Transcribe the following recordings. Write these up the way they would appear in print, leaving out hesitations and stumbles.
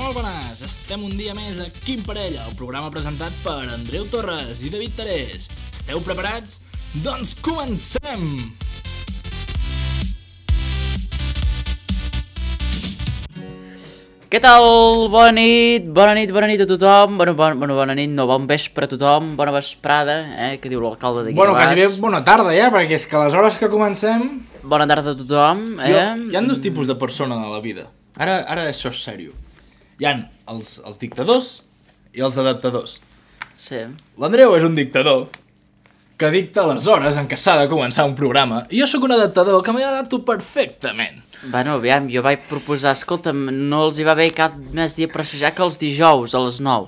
Molt bones! Estem un dia més a Quim Parella, el programa presentat per Andreu Torres i David Terés. Esteu preparats? Doncs comencem! Què tal? Bona nit a tothom. Bona nit, no, bon vespre a tothom, bona vesprada, que diu l'alcalde d'aquí Bueno, de Bas. quasi bé bona tarda ja, perquè és que a les hores que comencem... Bona tarda a tothom, Hi ha dos tipus de persona a la vida. Ara això és sèrio. Hi ha els dictadors i els adaptadors. Sí. L'Andreu és un dictador que dicta les hores en què s'ha de començar un programa i jo sóc un adaptador que m'hi adapto perfectament. Bueno, aviam, jo vaig proposar, escolta'm, no els hi va bé cap més dia per assajar que els dijous a les 9.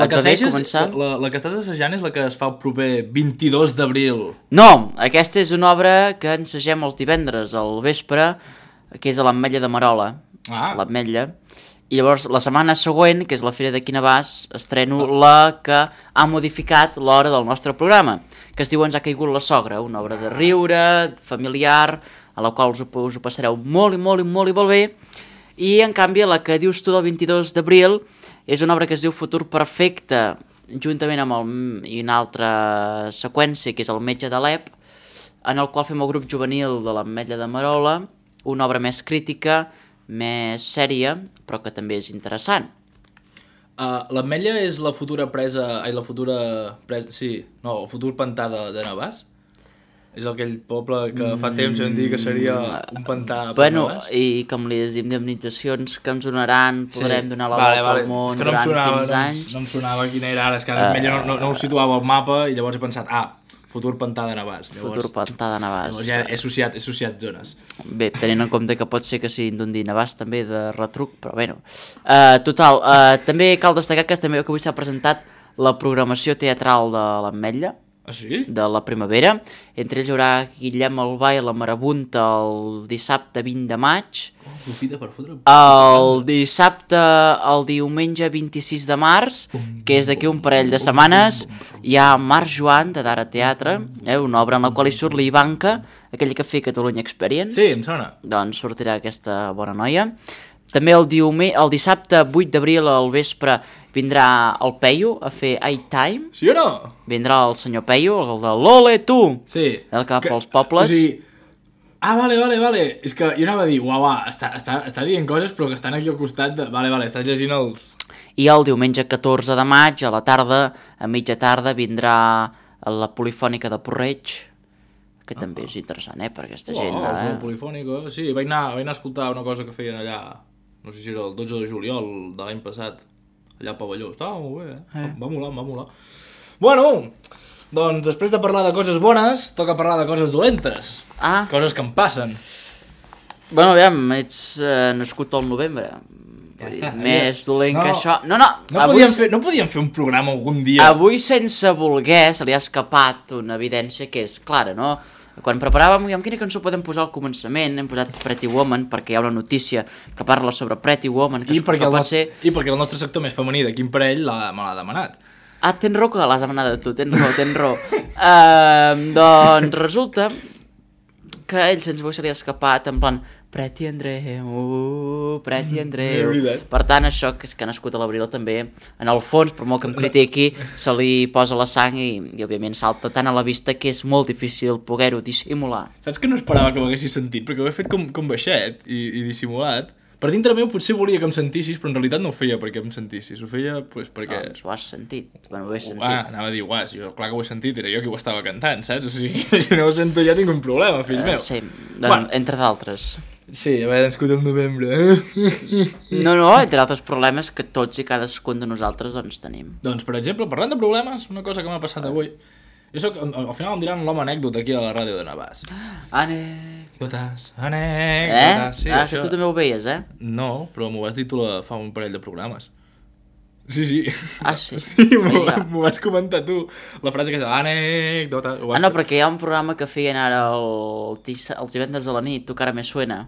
La que estàs assajant és la que es fa el proper 22 d'abril. No, aquesta és una obra que ensagem els divendres al vespre, que és a l'Ametlla de Marola. L'Ametlla. I llavors, la setmana següent, que és la Fira de Quinabàs, estreno la que ha modificat l'hora del nostre programa, que es diu Ens ha caigut la sogra, una obra de riure, familiar, a la qual us ho passareu molt bé. I, en canvi, la que dius tu del 22 d'abril és una obra que es diu Futur Perfecte, juntament amb una altra seqüència, que és El metge d'Alep, en el qual fem el grup juvenil de l'Ametlla de Marola, una obra més crítica, més sèria, però que també és interessant. L'Ametlla és la futura presa... el futur pantà de Navàs? És aquell poble que fa temps vam dir que seria un pantà per Navàs? I com les indemnitzacions que ens donaran, podrem donar la volta al món durant 15 anys. No em sonava quina era ara, és que l'Ametlla no ho situava al mapa i llavors he pensat, futur pantà de Navàs. Futur pantà de Navàs. Llavors ja he associat zones. Bé, tenint en compte que pot ser que siguin d'un dir Navàs també de retruc, però bueno. Total, també cal destacar que també avui s'ha presentat la programació teatral de l'Ametlla. Ah, sí? De la primavera. Entre ells hi haurà Guillem Albà i la Marabunta el dissabte 20 de maig. Profita per fotre... El diumenge 26 de març, que és d'aquí un parell de setmanes, hi ha Marc Joan, de Dara Teatre, una obra en la qual hi surt l'Ivanka, aquella que feia Catalunya Experience. Sí, em sona. Doncs sortirà aquesta bona noia. També el dissabte 8 d'abril al vespre vindrà el Peyu a fer iTime. Sí o no? Vindrà el senyor Peyu, el de l'Ole tu! Sí. El que va pels pobles. O sigui... vale. És que jo anava a dir, està dient coses però que estan aquí al costat de... Vale, estàs llegint els... I el diumenge 14 de maig, a la tarda, a mitja tarda, vindrà la Polifònica de Porreig, que també és interessant, per aquesta gent. La Polifònica, sí, vaig anar a escoltar una cosa que feien allà, no sé si era el 12 de juliol de l'any passat, allà al pavelló. Estava molt bé, va molar. Bueno, doncs després de parlar de coses bones, toca parlar de coses dolentes. Coses que em passen. Bueno, aviam, ets nascut al novembre. Més dolent que això... No podíem fer un programa algun dia? Avui, sense voler, se li ha escapat una evidència que és clara, no? Quan preparàvem, quina cançó podem posar al començament, hem posat Pretty Woman, perquè hi ha una notícia que parla sobre Pretty Woman, I perquè el nostre sector més femení de Quim Parell me l'ha demanat. Tens raó que l'has demanat tu, tens raó. Doncs resulta que a ell sense se li ha escapat en plan Pretty Andreu. Per tant, això que ha nascut a l'abril també, en el fons, per molt que em critiqui, se li posa la sang i òbviament salta tant a la vista que és molt difícil poder-ho dissimular. Saps que no esperava que m'haguessis sentit? Perquè ho he fet com baixet i dissimulat. Per dintre meu potser volia que em sentissis, però en realitat no ho feia perquè em sentissis. Ho feia perquè... Doncs ho has sentit. Bueno, ho he sentit. Anava a dir, jo clar que ho he sentit, era jo qui ho estava cantant, saps? O sigui, si no ho sento ja tinc un problema, fill meu. Sí, entre d'altres. Sí, haver nascut al novembre. No, entre altres problemes que tots i cadascun de nosaltres doncs tenim. Doncs, per exemple, parlant de problemes, una cosa que m'ha passat avui. Jo soc, al final em diran l'home anècdota aquí a la ràdio de Navàs. Anècdotes. Sí, això tu també ho veies, No, però m'ho vas dir tu fa un parell de programes. Sí. Sí? Sí, m'ho vas comentar tu. La frase que és anècdota. No, perquè hi ha un programa que feien ara els divendres a la nit, Tu cara me suena.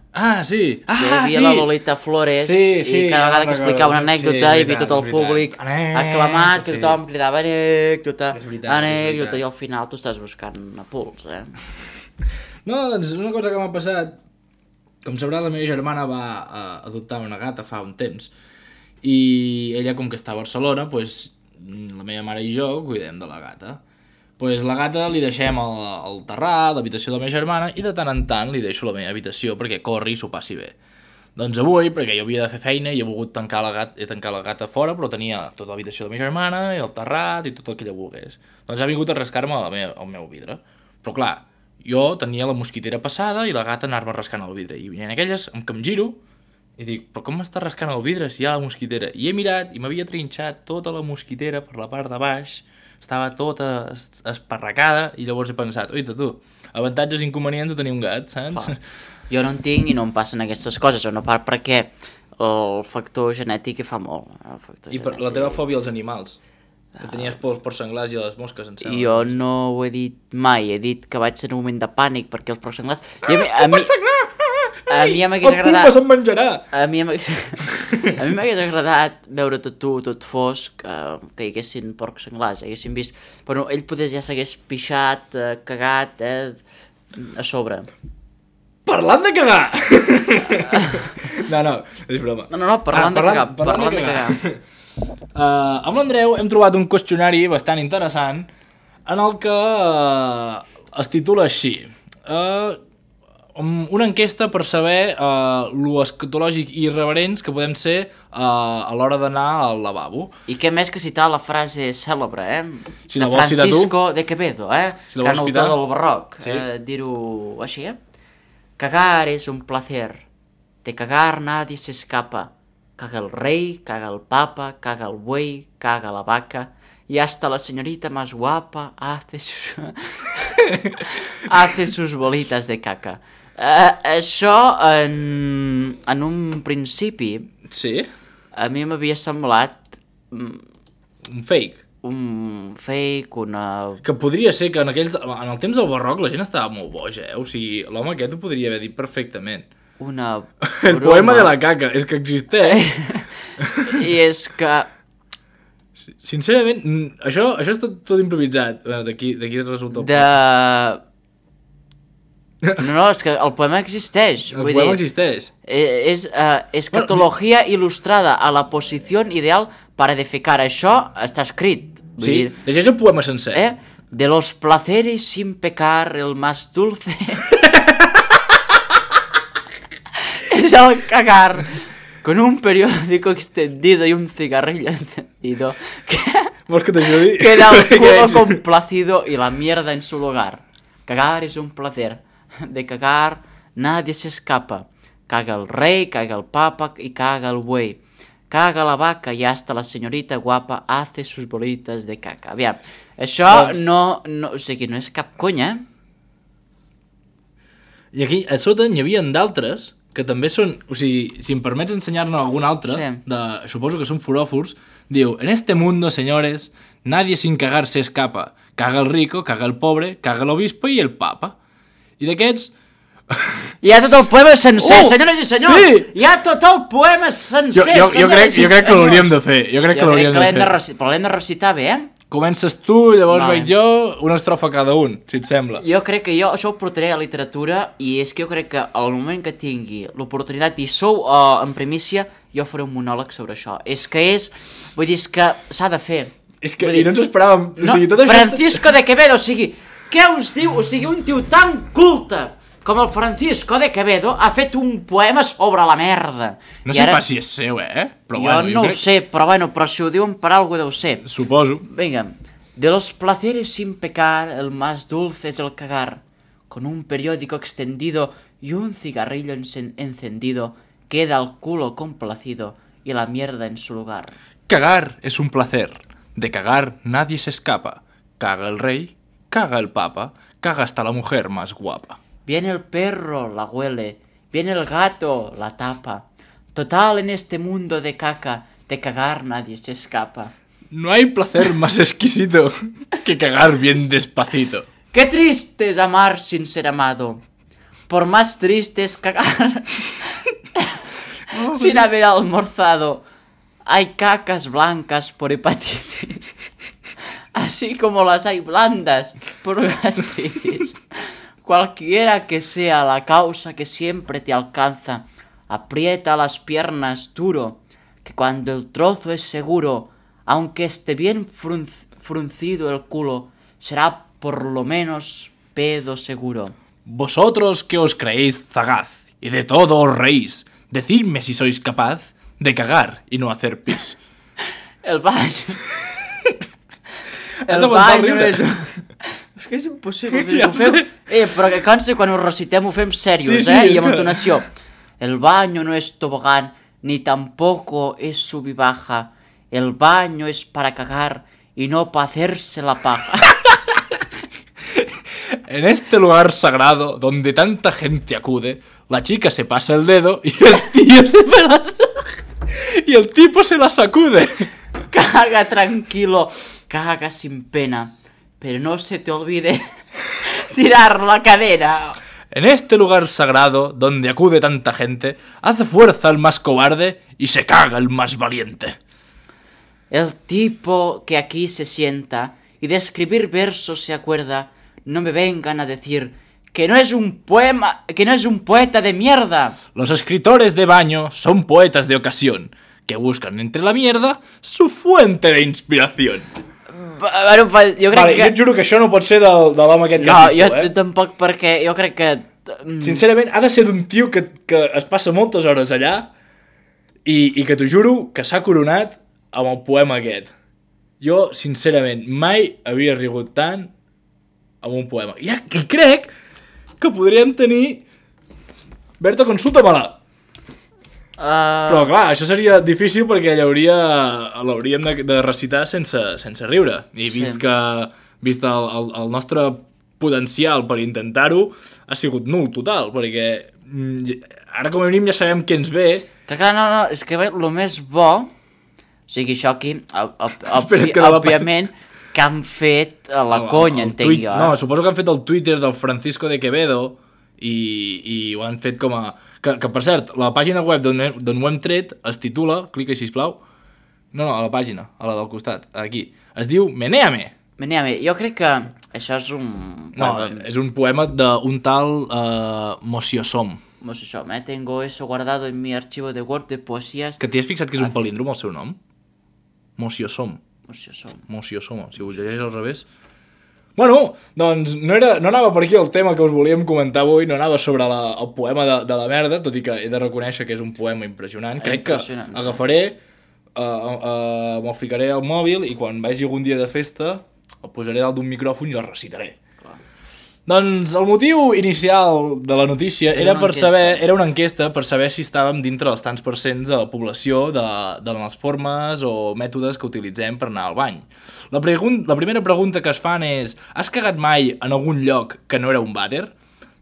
Sí. Que hi havia la Lolita Flores i cada vegada que explicava una anècdota hi havia tot el públic aclamat, que tothom cridava anècdota, i al final tu estàs buscant a pols, No, doncs una cosa que m'ha passat. Com sabrà, la meva germana va adoptar una gata fa un temps. i ella, com que està a Barcelona, pues, la meva mare i jo cuidem de la gata. Pues la gata li deixem al terrat, l'habitació de la meva germana, i de tant en tant li deixo la meva habitació perquè corri i s'ho passi bé. Doncs avui, perquè jo havia de fer feina i he volgut tancar la gata fora, però tenia tota l'habitació de la meva germana i el terrat i tot el que ella volgués. Doncs ha vingut a rascar-me el meu vidre. Però clar, jo tenia la mosquitera passada i la gata anar-me rascant el vidre. I en aquelles que em giro i dic, però com m'està rascant el vidre si hi ha la mosquitera? I he mirat i m'havia trinxat tota la mosquitera per la part de baix, estava tota esparracada i llavors he pensat, oita tu, avantatges i inconvenients de tenir un gat, saps? Jo no en tinc i no em passen aquestes coses, una part perquè el factor genètic hi fa molt. I per la teva fòbia als animals? Que tenies por als porcenglars i a les mosques, em sembla. Jo no ho he dit mai, he dit que vaig ser en un moment de pànic perquè els porcenglars... Un porcenglar! A mi m'hagués agradat... El pulpa se'n menjarà! A mi m'hagués agradat veure tot fosc, que hi haguessin porcs senglars, haguessin vist... Però ell potser ja s'hagués pixat, cagat, a sobre. Parlant de cagar! No, és broma. No, parlant de cagar. Amb l'Andreu hem trobat un qüestionari bastant interessant en el que es titula així. Una enquesta per saber lo escatològic i irreverents que podem ser a l'hora d'anar al lavabo. I què més que citar la frase cèlebre, Si de Francisco de Quevedo, si gran autor del barroc, sí. Dir-ho així, Cagar es un placer, de cagar nadie se escapa, caga el rey, caga el papa, caga el buey, caga la vaca, y hasta la señorita más guapa hace sus bolitas de caca. Això, en un principi, sí? A mi m'havia semblat... Un fake. Que podria ser que en el temps del barroc la gent estava molt boja, O sigui, l'home aquest ho podria haver dit perfectament. Una broma. El poema de la caca, és que existeix. I és que... Sincerament, això és tot improvisat. D'aquí resulta... No, és que el poema existeix. El poema existeix. És escatología ilustrada a la posició ideal para defecar. Això està escrit. Sí, llegeix el poema sencer. De los placeres sin pecar, el más dulce... es el cagar. Con un periódico extendido y un cigarrillo encendido. ¿Vols que t'ajudi? Queda el culo complacido y la mierda en su lugar. Cagar es un placer. De cagar nadie se escapa. Caga el rey, caga el papa y caga el buey. Caga la vaca y hasta la señorita guapa hace sus bolitas de caca. Aviam, això no, o sigui, no és cap conya, I aquí a sota n'hi havia d'altres que també són, o sigui, si em permets ensenyar-ne algun altre, sí. Suposo que són foròfors, diu, en este mundo, señores, nadie sin cagar se escapa. Caga el rico, caga el pobre, caga el obispo i el papa. I d'aquests... Hi ha tot el poema sencer, senyores i senyors! Sí! Hi ha tot el poema sencer, jo crec que l'hauríem de fer. Jo crec que l'hem de recitar bé, Comences tu, llavors vaig jo, una estrofa cada un, si et sembla. Jo crec que això ho portaré a literatura i és que jo crec que al moment que tingui l'oportunitat i sou en primícia, jo faré un monòleg sobre això. Vull dir, és que s'ha de fer. És que i no ens esperàvem. No, Francisco de Quevedo, o sigui, què us diu? O sigui, un tio tan culte com el Francisco de Quevedo ha fet un poema sobre la merda. No sé pas si és seu, Però jo no ho sé, però si ho diuen per algú deu ser. Suposo. Venga, de los placeres sin pecar, el más dulce es el cagar. Con un periódico extendido y un cigarrillo encendido, queda el culo complacido y la mierda en su lugar. Cagar es un placer. De cagar nadie se escapa. Caga el rey, caga el papa, caga hasta la mujer más guapa. Viene el perro, la huele. Viene el gato, la tapa. Total, en este mundo de caca, de cagar nadie se escapa. No hay placer más exquisito que cagar bien despacito. Qué triste es amar sin ser amado. Por más triste es cagar sin haber almorzado. Hay cacas blancas por hepatitis, así como las hay blandas por gastritis. Cualquiera que sea la causa que siempre te alcanza, aprieta las piernas duro, que cuando el trozo es seguro, aunque esté bien fruncido el culo, será por lo menos pedo seguro. Vosotros que os creéis sagaz y de todo os reís, decidme si sois capaz de cagar y no hacer pis. El baño... El baño no és... És que és impossible. Ja però que consti, quan ho recitem ho fem serios, i amb entonació. El baño no es tobogán, ni tampoco es sub y baja. El baño es para cagar y no para hacerse la paja. En este lugar sagrado, donde tanta gente acude, la chica se pasa el dedo y el tipo se la sacude. Caga tranquilo, caga sin pena, pero no se te olvide tirar la cadera. En este lugar sagrado, donde acude tanta gente, hace fuerza el más cobarde y se caga el más valiente. El tipo que aquí se sienta y de escribir versos se acuerda, no me vengan a decir que no es un poema, que no es un poeta de mierda. Los escritores de baño son poetas de ocasión, que buscan entre la mierda su fuente de inspiración. Jo crec vale, que... jo et juro que això no pot ser de l'home aquest que no, jo tampoc, perquè jo crec que... Sincerament, ha de ser d'un tio que es passa moltes hores allà i que t'ho juro que s'ha coronat amb el poema aquest. Jo, sincerament, mai havia rigut tant amb un poema. I crec que podríem tenir... Berta, consulta-me-la. Però clar, això seria difícil perquè l'hauríem de recitar sense riure. I vist el nostre potencial per intentar-ho ha sigut nul total, perquè ara com a mínim ja sabem què ens ve. Que clar, no, és que el més bo, o sigui, això aquí, òbviament, que han fet a la conya, entenc jo. No, suposo que han fet el Twitter del Francisco de Quevedo i ho han fet com a... Que per cert, la pàgina web d'on ho hem tret es titula, clica sisplau, no, a la pàgina, a la del costat, aquí, es diu Menéame. Menéame, jo crec que això és un... No, és un poema d'un tal Mociosom. Mociosom, tengo eso guardado en mi archivo de Word de poesías... Que t'hi has fixat que és un palíndrom el seu nom? Mociosom. Mociosom, si ho llegeix al revés... Bueno, doncs no anava per aquí el tema que us volíem comentar avui, no anava sobre el poema de la merda, tot i que he de reconèixer que és un poema impressionant. Crec que agafaré, me'l ficaré al mòbil i quan vagi algun dia de festa el posaré dalt d'un micròfon i el recitaré. Clar. Doncs el motiu inicial de la notícia era una enquesta per saber si estàvem dintre dels tants % de la població de les formes o mètodes que utilitzem per anar al bany. La primera pregunta que es fan és: has cagat mai en algun lloc que no era un vàter?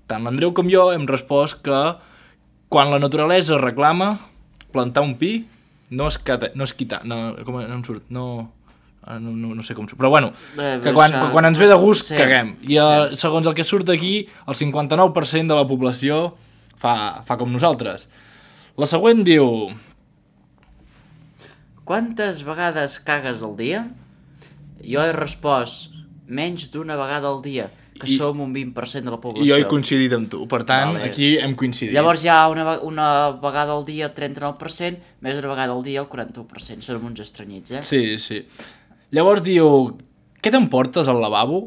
Tant l'Andreu com jo hem respost que quan la naturalesa reclama plantar un pi no sé com surt, però bueno, que quan ens ve de gust caguem. I segons el que surt aquí, el 59% de la població fa com nosaltres. La següent diu: quantes vegades cagues al dia? Jo he respost menys d'una vegada al dia, que som un 20% de la població. I jo he coincidit amb tu, per tant, aquí hem coincidit. Llavors hi ha una vegada al dia el 39%, més d'una vegada al dia el 41%. Som uns estranyits, Sí. Llavors diu: què t'emportes al lavabo?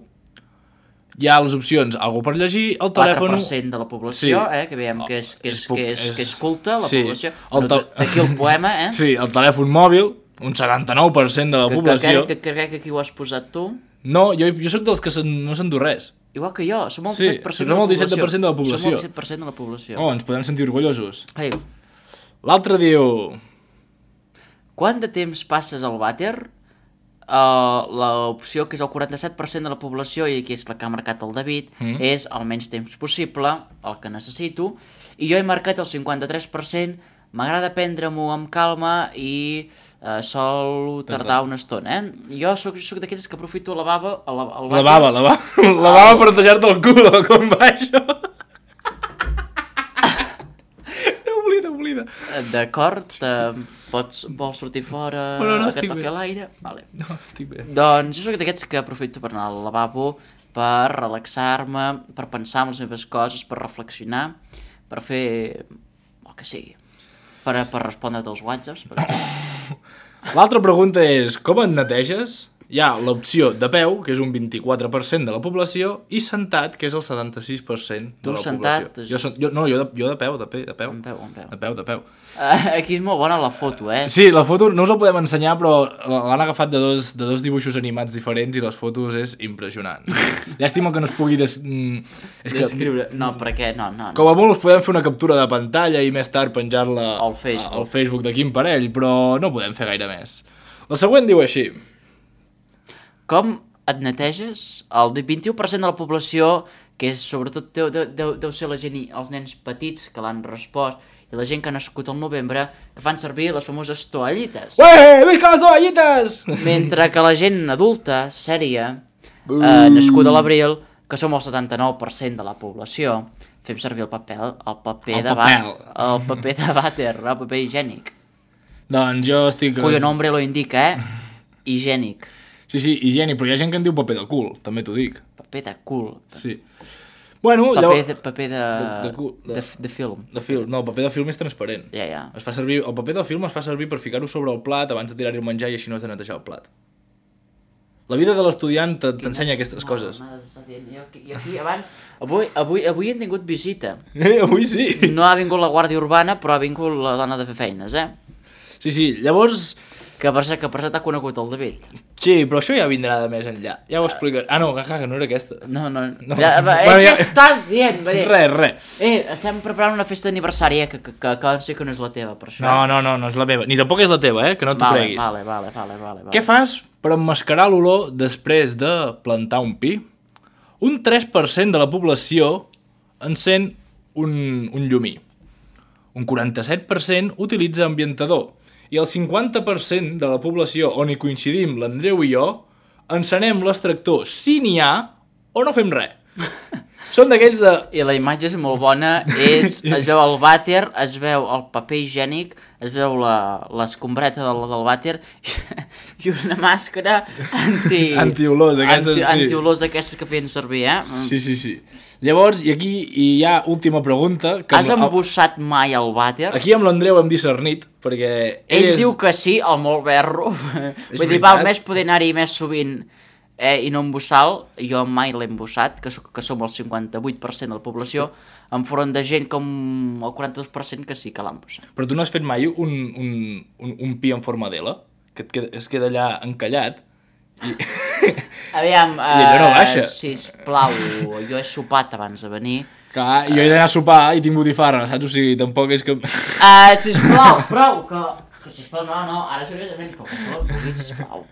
Hi ha les opcions: algú per llegir, el telèfon... 4% de la població, que veiem que és culta, la població. D'aquí el poema, Sí, el telèfon mòbil, un 79% de la població. Que crec que aquí ho has posat tu. No, jo soc dels que no s'endú res. Igual que jo, som el 17% de la població. Som el 17% de la població. Ens podem sentir orgullosos. L'altre diu: quant de temps passes al vàter? L'opció que és el 47% de la població, i aquí és la que ha marcat el David, és el menys temps possible, el que necessito, i jo he marcat el 53%. M'agrada prendre-m'ho amb calma i sol tardar una estona, Jo soc d'aquells que aprofito la bava... La bava per netejar-te el cul, com va això? Oblida. D'acord, vols sortir fora, que toqui l'aire? Vale. No, estic bé. Doncs jo soc d'aquests que aprofito per anar al lavabo, per relaxar-me, per pensar en les meves coses, per reflexionar, per fer el que sigui. Per respondre't als whatsapps, per exemple. L'altra pregunta és, com et neteges? Hi ha l'opció de peu, que és un 24% de la població, i sentat, que és el 76% de la sentat, població. Jo de peu. De peu. Aquí és molt bona la foto, Sí, la foto no us la podem ensenyar, però l'han agafat de dos dibuixos animats diferents i les fotos és impressionant. Llàstima que no es pugui descriure. No, perquè no. Com a molt us podem fer una captura de pantalla i més tard penjar-la al Facebook de quin parell, però no podem fer gaire més. La següent diu així. Com et neteges? El 21% de la població, que és sobretot deu ser la gent i els nens petits que l'han respost, i la gent que ha nascut al novembre, que fan servir les famoses toallites. Ué, visca les toallites! Mentre que la gent adulta, sèria, nascuda a l'abril, que som el 79% de la població, fem servir el paper de vàter, el paper higiènic. Doncs jo estic... Cuyo nombre lo indica, higiènic. Sí, higiènic, però hi ha gent que en diu paper de cul, també t'ho dic. Paper de cul. Sí. Bueno, paper de film. De film. No, el paper de film és transparent. Ja. Es fa servir, el paper de film es fa servir per ficar-ho sobre el plat abans de tirar-hi el menjar i així no has de netejar el plat. La vida de l'estudiant t'ensenya aquestes coses. Jo aquí abans... Avui hem tingut visita. Avui sí. No ha vingut la Guàrdia Urbana, però ha vingut la dona de fer feines, Sí, llavors... Que per cert t'ha conegut el David. Sí, però això ja vindrà de més enllà. Ja ho explicaré. No, que no era aquesta. No. Què estàs dient? Res. Estem preparant una festa d'aniversari, que sé que no és la teva, per això. No és la meva. Ni tampoc és la teva, que no t'ho creguis. Vale. Què fas per emmascarar l'olor després de plantar un pi? Un 3% de la població encén un llumí. Un 47% utilitza ambientador. I el 50% de la població on hi coincidim, l'Andreu i jo, encenem l'extractor si n'hi ha o no fem res. Són d'aquells de... I la imatge és molt bona, es veu el vàter, es veu el paper higiènic, es veu l'escombreta del vàter i una màscara antiolors d'aquestes, antiolors d'aquestes que feien servir, Sí. Llavors, i aquí hi ha última pregunta. Has embussat mai el vàter? Aquí amb l'Andreu hem discernit, perquè... Ell diu que sí, el molt berro. Vull dir, val més poder anar-hi més sovint i no embussar-lo. Jo mai l'he embussat, que som el 58% de la població, enfront de gent com el 42% que sí que l'ha embussat. Però tu no has fet mai un pi en forma d'ela? Que es queda allà encallat? Aviam, i allò no baixa. Sisplau, jo he sopat abans de venir. Clar, jo he d'anar a sopar i tinc botifarra, saps? O sigui, tampoc és que... Sisplau, prou, que sisplau, no, ara seriosament, com que no vulguis, sisplau.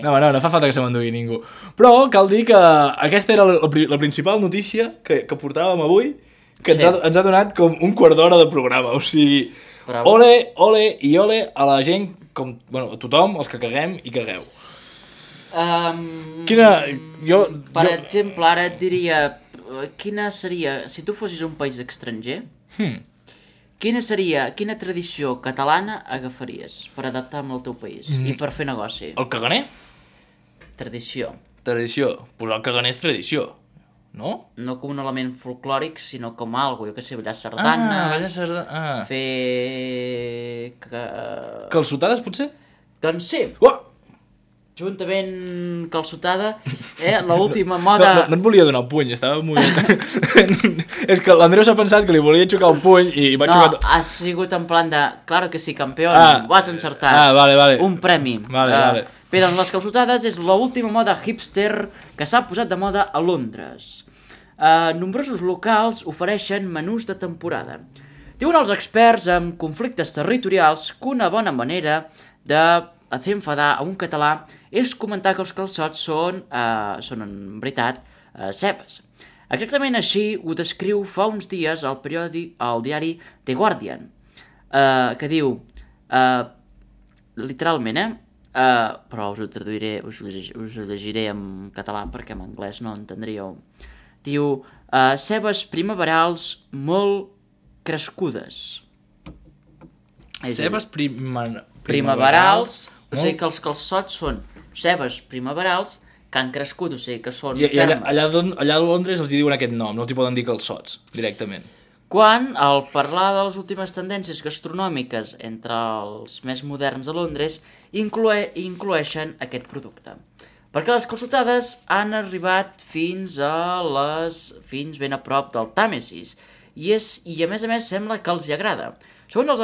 No fa falta que se m'endugui ningú. Però cal dir que aquesta era la principal notícia que portàvem avui, que ens ha donat com un quart d'hora de programa, o sigui... Ole i ole a la gent, a tothom, els que caguem i cagueu. Per exemple, ara et diria, quina seria, si tu fossis un país estranger, quina tradició catalana agafaries per adaptar amb el teu país i per fer negoci? El caganer? Tradició. Doncs el caganer és tradició, no? No com un element folclòric, sinó com algo, jo que sé, ballar sardanes, fer... Calçotades, potser? Doncs sí. Juntament calçotada, l'última moda... No et volia donar el puny, estava molt... És que l'Andreu s'ha pensat que li volia xocar el puny i va xocar... No, ha sigut en plan de... Claro que sí, campió, ho has encertat. Vale. Un premi. Vale. Bé, doncs les calçotades és l'última moda hipster que s'ha posat de moda a Londres. Nombrosos locals ofereixen menús de temporada. Diuen els experts amb conflictes territorials que una bona manera de fer enfadar a un català és comentar que els calçots són en veritat, cebes. Exactament així ho descriu fa uns dies al diari The Guardian, que diu, literalment, però us ho traduiré, us ho llegiré en català perquè en anglès no entendríeu. Diu, cebes primaverals molt crescudes. Cebes primaverals, o sigui que els calçots són cebes primaverals que han crescut, o sigui que són fermes. I allà a Londres els diuen aquest nom, no els hi poden dir calçots, directament. quan, al parlar de les últimes tendències gastronòmiques entre els més moderns de Londres, incloeixen aquest producte. Perquè les calçotades han arribat fins ben a prop del Tàmesis, i a més sembla que els hi agrada. Segons els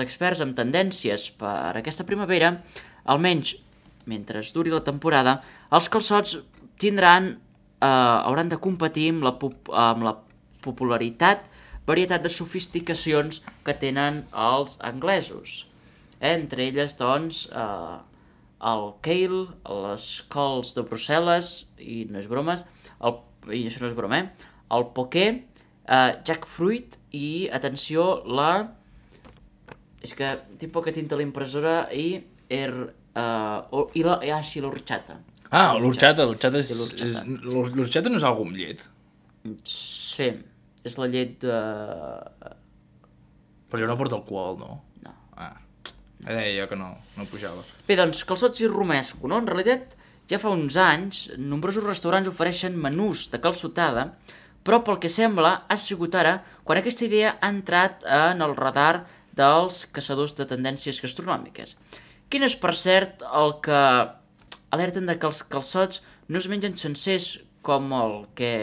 experts amb tendències per aquesta primavera, almenys mentre duri la temporada, els calçots hauran de competir amb la varietat de sofisticacions que tenen els anglesos. Entre elles, doncs, el kale, les cols de Brussel·les, i no és broma, el poké, jackfruit i, atenció, és que tinc poca tinta a la impressora l'orxata. L'orxata no és algú amb llet? Sí, és la llet de... Però jo no porto alcohol, no? No. Deia jo que no pujava. Bé, doncs, calçots i romesco, no? En realitat, ja fa uns anys, nombrosos restaurants ofereixen menús de calçotada, però pel que sembla ha sigut ara quan aquesta idea ha entrat en el radar dels caçadors de tendències gastronòmiques. Quin és, per cert, el que alerten de que els calçots no es mengen sencers com el que...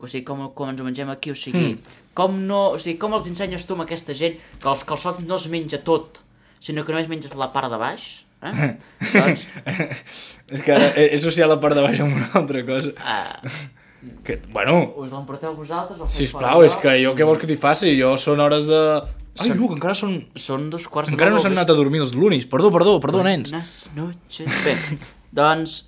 O sigui, com ens ho mengem aquí, o sigui, com els ensenyes tu amb aquesta gent que els calçots no es menja tot, sinó que només menges la part de baix, doncs... És que ara he associat la part de baix amb una altra cosa. Que, bueno... Us l'emporteu vosaltres? Sisplau, és que jo què vols que t'hi faci? Jo són hores de... Ai, que encara són... Són 2:15. Encara no s'han anat a dormir els lunis. Perdó, nens. Buenas noches. Bé, doncs...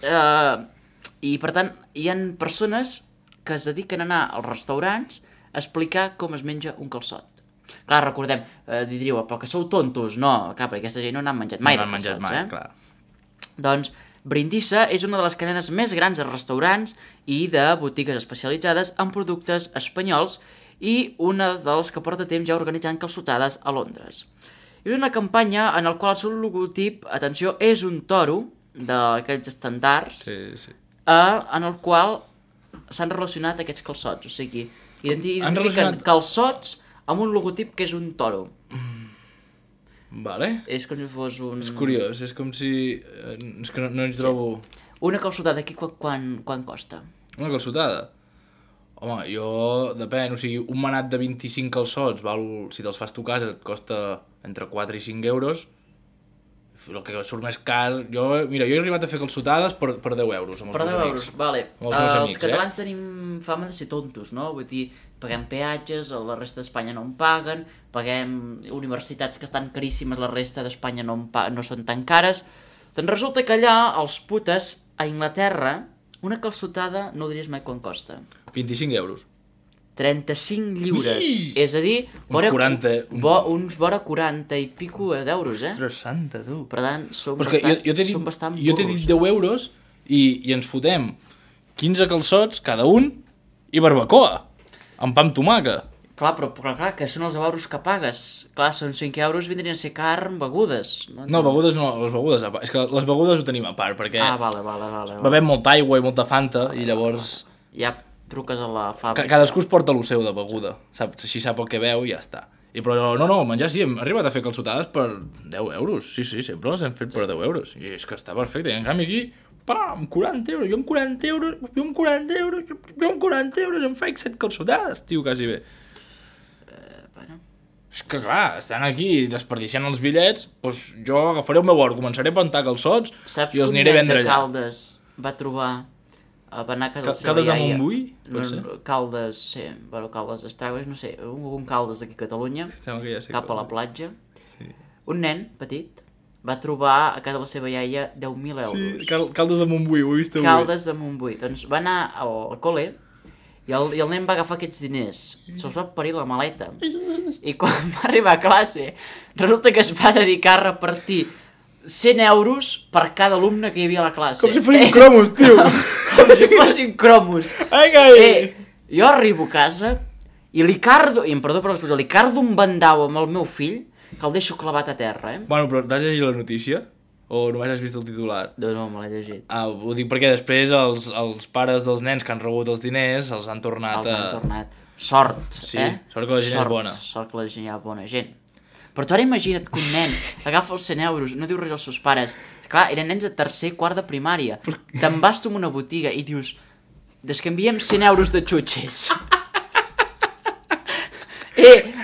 I, per tant, hi ha persones que es dediquen a anar als restaurants a explicar com es menja un calçot. Clar, recordem, diríeu, però que sou tontos. No, clar, perquè aquesta gent no n'han menjat mai de calçots, clar. Doncs Brindisa és una de les cadenes més grans de restaurants i de botigues especialitzades en productes espanyols i una de les que porta temps ja organitzant calçotades a Londres. És una campanya en la qual el seu logotip, atenció, és un toro d'aquells estandards, en el qual s'han relacionat aquests calçots. O sigui, identifiquen calçots amb un logotip que és un toro. Vale. És com si fos un... És curiós, és com si... És que no ens trobo... Una calçotada aquí quan costa? Una calçotada? Home, depèn, o sigui, un manat de 25 calçots, si te'ls fas tu a casa, et costa entre 4 i 5 euros. El que surt més car... Jo he arribat a fer calçotades per 10 euros amb els meus amics. Vale. Amb els meus amics, els catalans tenim fama de ser tontos, no? Vull dir, paguem peatges, la resta d'Espanya no en paguen, paguem universitats que estan caríssimes, la resta d'Espanya no són tan cares. Doncs resulta que allà, els putes, a Anglaterra, una calçotada no ho diries mai quan costa. 25 euros. 35 lliures. És a dir, uns vora 40 i pico d'euros, Ostres santa, tu. Per tant, som bastant burros. Jo t'he dit 10 euros i ens fotem 15 calçots cada un i barbacoa, amb pa amb tomaca. Clar, però clar, que són els euros que pagues. Clar, són 5 euros, vindrien a ser carn, begudes. No, begudes no, les begudes... És que les begudes ho tenim a part, perquè... Vale. Bevem molta aigua i molta Fanta, i llavors... Ja truques a la fàbrica. Cadascú es porta el seu de beguda, saps? Així sap el que veu i ja està. Però no, menjar sí, hem arribat a fer calçotades per 10 euros. Sí, sempre les hem fet per 10 euros. I és que està perfecte. I en canvi aquí, pam, 40 euros. Jo amb 40 euros em faig 7 calçotades, tio, quasi bé. És que clar, estan aquí desperdiciant els bitllets, doncs jo agafaré el meu or, començaré a plantar calçots i els aniré a vendre allà. Saps que un nen de Caldes va trobar... Va anar a casa de la seva Caldes iaia. de Montbui? Caldes, sí, bueno, Caldes d'Estragos, no sé, un Caldes d'aquí a Catalunya, cap a la platja. Sí. Un nen petit va trobar a casa de la seva iaia 10.000 euros. Sí, Caldes de Montbui, ho he vist avui. Caldes de Montbui. Doncs va anar al col·le i el nen va agafar aquests diners, se'ls va parir la maleta. I quan va arribar a classe, resulta que es va dedicar a repartir 100 euros per cada alumne que hi havia a la classe. Com si fossin cromos, tio! Com si fossin cromos. Jo arribo a casa i li cardo un bandau amb el meu fill que el deixo clavat a terra, Bueno, però t'has llegit la notícia? O només has vist el titular? No, me l'he llegit. Ho dic perquè després els pares dels nens que han rebut els diners els han tornat Sort, sí, sort que la gent és bona. Sort que la gent hi ha bona gent. Però tu ara imagina't que un nen agafa els 100 euros, no diu res als seus pares. Clar, eren nens de tercer, quart de primària. Te'n vas tu a una botiga i dius, descanviem 100 euros de xutxes.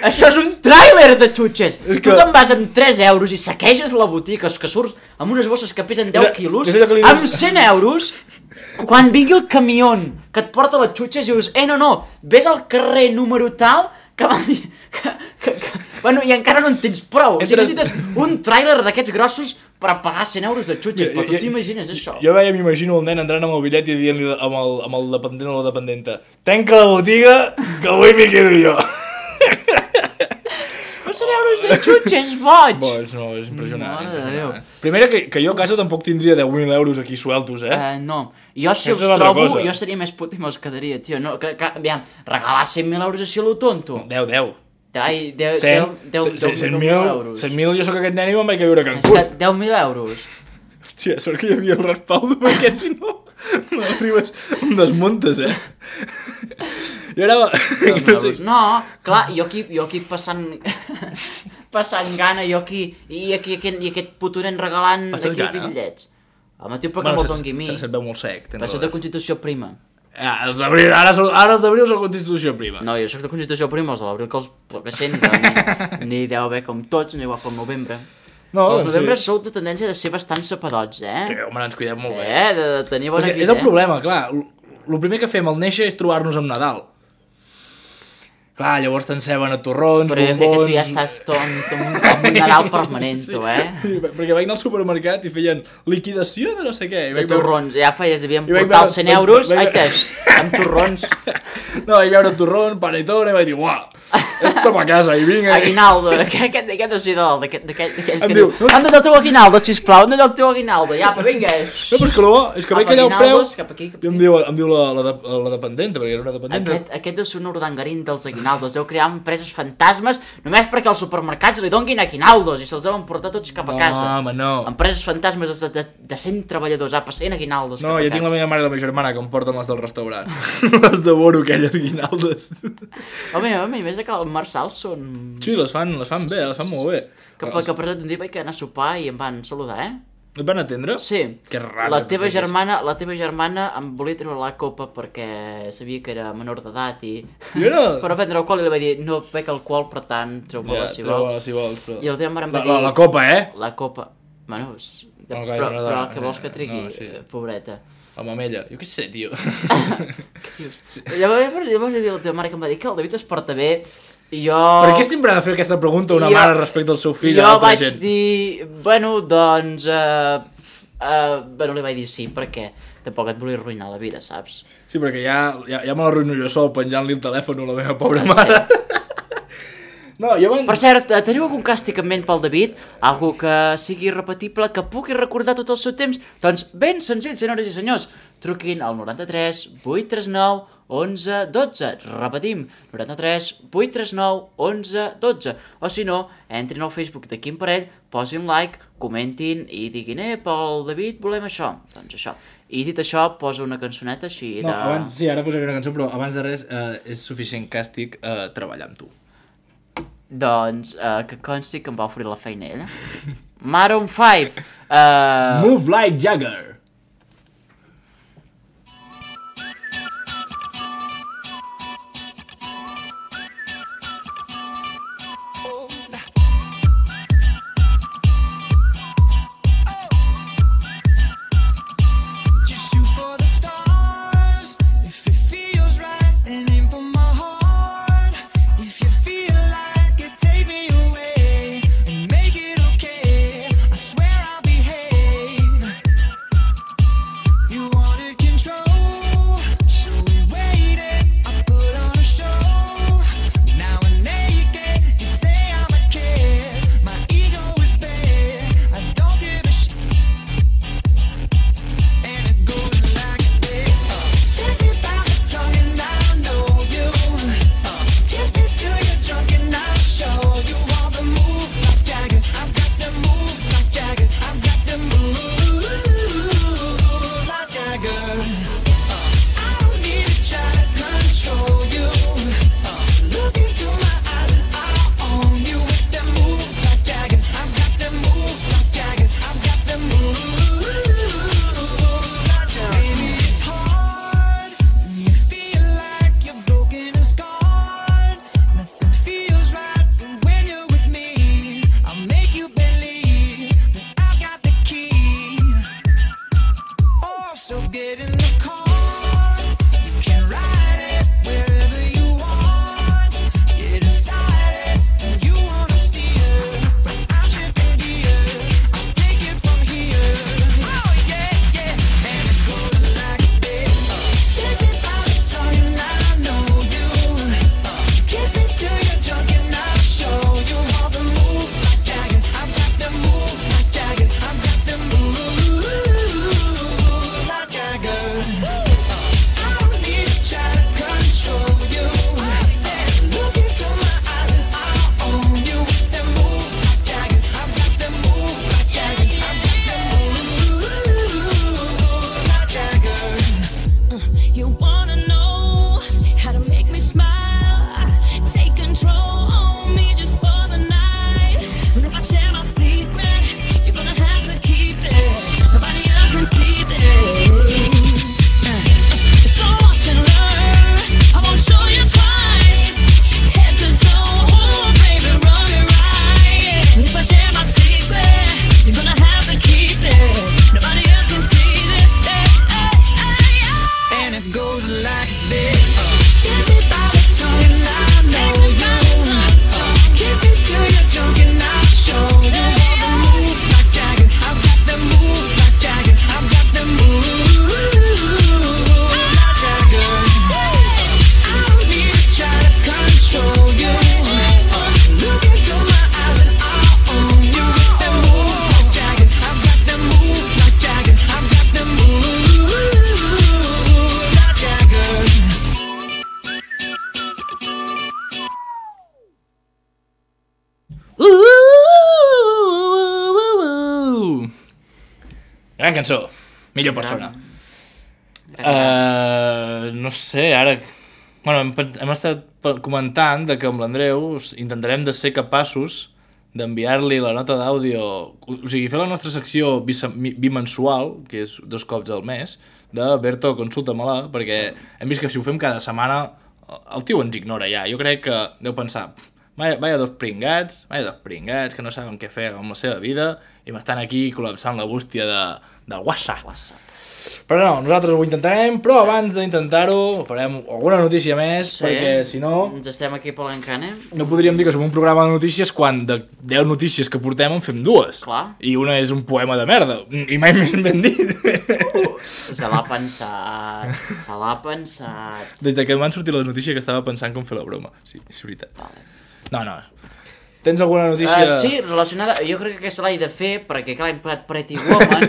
Això és un tràiler de xutxes. Tu te'n vas amb 3 euros i saqueges la botiga, que surts amb unes bosses que pesen 10 quilos, amb 100 euros, quan vingui el camió que et porta les xutxes i dius, no, ves al carrer número tal, que van dir... Bueno, i encara no en tens prou. O sigui, necessites un tràiler d'aquests grossos per pagar 100 euros de xutxes, però tu t'imagines això? Jo m'imagino el nen entrant amb el bitllet i dient-li amb el dependent o la dependenta, tanca la botiga, que avui m'hi quedo jo. Però 100 euros de xutxes, boig! Boig, no, és impressionant. Primera, que jo a casa tampoc tindria 10.000 euros aquí sueltos, No, jo si els trobo, jo seria més put i me'ls quedaria, tio. Aviam, regalar 100.000 euros així a lo tonto. 10. Ai, 10.000 euros. 100.000, jo soc aquest nen i me'n vaig a viure a Cancún. És que 10.000 euros. Hòstia, sort que hi havia el respaldo, perquè si no m'arribes, em desmuntes, Jo era... No, clar, jo aquí passant gana, i aquest puto nen regalant bitllets. Home, tio, perquè me'ls dongui a mi. Se't veu molt sec. Però soc de Constitució Prima. Ara els d'abril són Constitució Prima. No, jo soc de Constitució Prima, els de l'abril que els present, ni deu haver com tots, ni igual com novembre. No, els novembres sou de tendència de ser bastant sapadots, Que, home, ens cuidem molt bé. De tenir bona vida, És el problema, clar. El primer que fem al néixer és trobar-nos amb Nadal. Clar, llavors t'enceben a torrons, bombons... Però jo crec que tu ja estàs amb un Nadal permanent, tu, Perquè vaig anar al supermercat i feien liquidació de no sé què. De torrons, ja feies, devien portar els 100 euros, amb torrons. No, vaig veure torrons, panetone, i vaig dir, uah, esto pa casa, i vinc... Aguinaldo, aquest no sé d'aquells que diu, han de el teu aguinaldo, sisplau, han de el teu aguinaldo, ja, però vinga. No, però és que no, és que veig allà el preu, i em diu la dependenta, perquè era una dependenta. Aquest deu ser un urdangarín dels aguinaldos, deu crear empreses fantasmes només perquè als supermercats li donguin aguinaldos i se'ls deuen portar tots cap a casa. No, home, no. Empreses fantasmes de 100 treballadors, passant aguinaldos. No, jo tinc la meva mare i la meva germana que em porten les del restaurant. Les devoro, aquelles aguinaldes. Home, a més que els Marçals són... Sí, les fan bé, les fan molt bé. Que per exemple un dia vaig anar a sopar i em van saludar, Et van atendre? Sí. Que raro. La teva germana em volia treure la copa perquè sabia que era menor d'edat i... Per prendre alcohol i li vaig dir, no bec alcohol, per tant, treu-me-la si vols. I el teva mare em va dir... La copa, La copa. Bueno, però què vols que trigui, pobreta? La mamella. Jo què sé, tio. Llavors hi havia la teva mare que em va dir que el David es porta bé i jo... Per què sempre ha de fer aquesta pregunta una mare respecte al seu fill a altra gent? Jo vaig dir... Bueno, doncs... Bueno, li vaig dir sí, perquè tampoc et volia arruïnar la vida, saps? Sí, perquè ja me l'arruïno jo sol penjant-li el telèfon a la meva pobra mare. No, per cert, teniu algun càstig en ment pel David? Algú que sigui repetible, que pugui recordar tot el seu temps? Doncs ben senzill, senyores i senyors. Truquin al 93 839 11 12. Repetim, 93 839 11 12. O si no, entrin al Facebook de Quim Parell, posin like, comentin i diguin, pel David volem això. Doncs això. I dit això, posa una cançoneta així de... No, abans, sí, ara posaré una cançó, però abans de res és suficient càstig treballar amb tu. Doncs, que consti que em va oferir la feina ella. Maroon 5. Move like Jagger. Gran cançó. Millor persona. No sé, ara... Bueno, hem estat comentant que amb l'Andreu intentarem de ser capaços d'enviar-li la nota d'àudio, o sigui, fer la nostra secció bimensual, que és 2 cops al mes, de Berto, consulta-me-la, perquè hem vist que si ho fem cada setmana el tio ens ignora ja. Jo crec que deu pensar, vaya dos pringats, que no saben què fer amb la seva vida i m'estan aquí col·lapsant la bústia del WhatsApp. Però no, nosaltres ho intentarem, però abans d'intentar-ho farem alguna notícia més, perquè si no... Ens estem aquí palancant, No podríem dir que som un programa de notícies quan de 10 notícies que portem en fem 2. Clar. I una és un poema de merda, i mai més ben dit. Se l'ha pensat. Des que m'han sortit les notícies que estava pensant com fer la broma. Sí, és veritat. Vale. No. Tens alguna notícia? Sí, relacionada... Jo crec que aquesta l'he de fer, perquè clar, hem parlat Pretty Woman.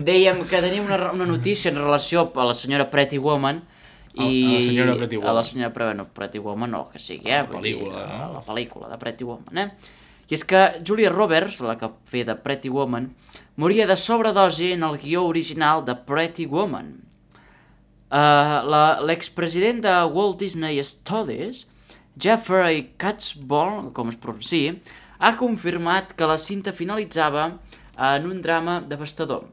Dèiem que tenim una notícia en relació a la senyora Pretty Woman. A la senyora Pretty Woman. A la senyora Pretty Woman, o que sigui, La pel·lícula, no? La pel·lícula de Pretty Woman, I és que Julia Roberts, la que feia de Pretty Woman, moria de sobredosi en el guió original de Pretty Woman. L'expresident de Walt Disney Studios, Jeffrey Katzenberg, com es pronuncia, ha confirmat que la cinta finalitzava en un drama devastador.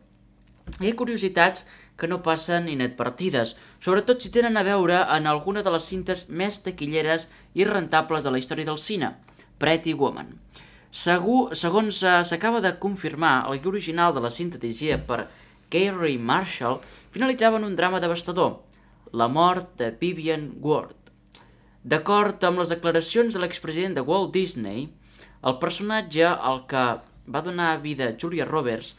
Hi ha curiositats que no passen inadvertides, sobretot si tenen a veure en alguna de les cintes més taquilleres i rentables de la història del cine, Pretty Woman. Segons s'acaba de confirmar, el guió original de la cinta dirigida per Gary Marshall finalitzava en un drama devastador, la mort de Vivian Ward. D'acord amb les declaracions de l'expresident de Walt Disney, el personatge al que va donar vida Julia Roberts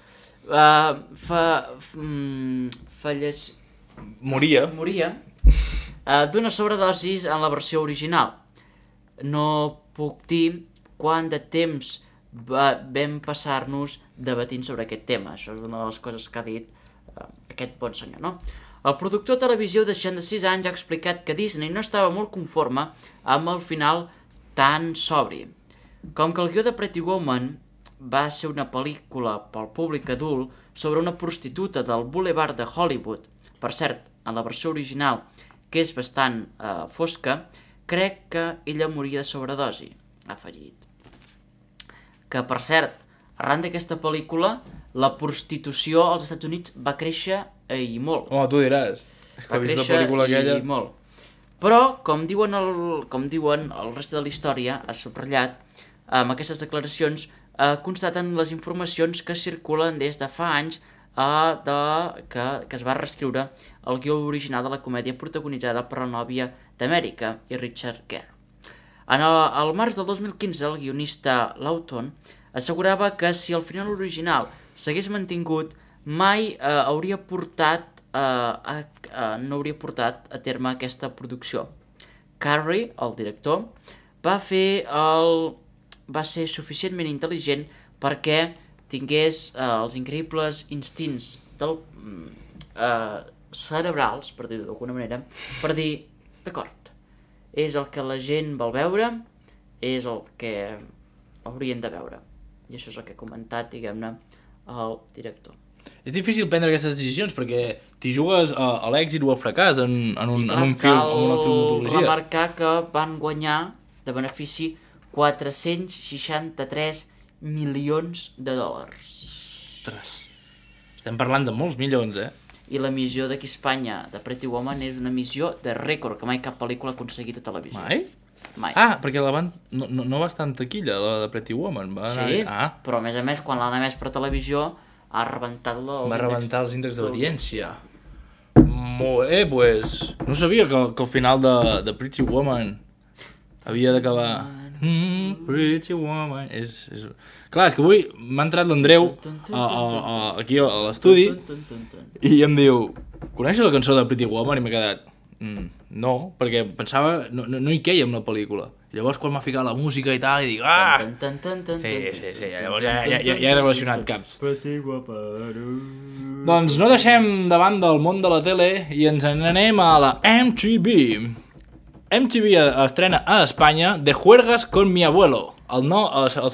moria d'una sobredosis en la versió original. No puc dir quant de temps vam passar-nos debatint sobre aquest tema. Això és una de les coses que ha dit aquest bon senyor, no? El productor de televisió de 66 anys ha explicat que Disney no estava molt conforme amb el final tan sobri. Com que el guió de Pretty Woman va ser una pel·lícula pel públic adult sobre una prostituta del Boulevard de Hollywood, per cert, en la versió original, que és bastant fosca, crec que ella moria de sobredosi, ha afegit. Que, per cert, arran d'aquesta pel·lícula, la prostitució als Estats Units va créixer i molt. Home, tu diràs. És que ha vist la pel·lícula aquella... I molt. Però, com diuen el reste de la història, ha subratllat, amb aquestes declaracions, constaten les informacions que circulen des de fa anys que es va reescriure el guió original de la comèdia protagonitzada per la nòvia d'Amèrica i Richard Gere. Al març del 2015, el guionista Lawton assegurava que si el final original s'hagués mantingut, mai no hauria portat a terme aquesta producció. Carrey, el director, va ser suficientment intel·ligent perquè tingués els increïbles instints cerebrals, per dir-ho d'alguna manera, per dir, d'acord, és el que la gent vol veure, és el que haurien de veure. I això és el que ha comentat, diguem-ne, el director. És difícil prendre aquestes decisions perquè t'hi jugues a l'èxit o al fracàs en un film, en una filmologia. Cal remarcar que van guanyar de benefici 463 milions de dòlars. Ostres, estem parlant de molts milions, I l'emissió d'aquí a Espanya de Pretty Woman és una emissió de rècord, que mai cap pel·lícula ha aconseguit a televisió. Mai? Ah, perquè no va estar en taquilla, la de Pretty Woman. Sí, però a més, quan l'han emès per televisió, ha rebentat els índexs d'audiència. Molt bé, pues... No sabia que el final de Pretty Woman havia d'acabar... Pretty Woman... Clar, és que avui m'ha entrat l'Andreu aquí a l'estudi i em diu, coneixes la cançó de Pretty Woman? I m'he quedat... No, perquè pensava... No hi queia amb la pel·lícula. I llavors quan m'ha ficat la música i tal, i dic... Sí, llavors ja he relacionat caps. Doncs no deixem davant del món de la tele i ens n'anem a la MTV. MTV estrena a Espanya De Juergas con mi abuelo, el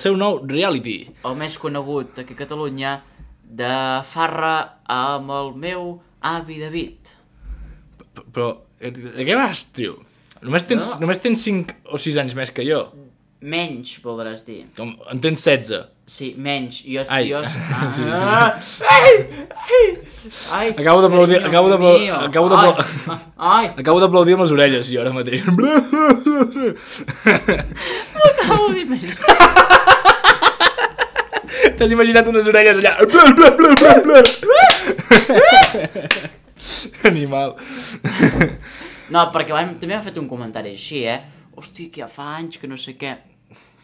seu nou reality. El més conegut aquí a Catalunya de farra amb el meu avi David. Però, de què vas, tio? Només tens 5 o 6 anys més que jo. Menys, voldràs dir. Com, en tens 16. Sí, menys. Jo... Ai. Sí. Ai, acabo d'aplaudir Ai. acabo d'aplaudir amb les orelles, jo, ara mateix. M'acabo d'imaginar. T'has imaginat unes orelles allà? Animal. No, perquè també m'ha fet un comentari així, Hosti, que ja fa anys que no sé què.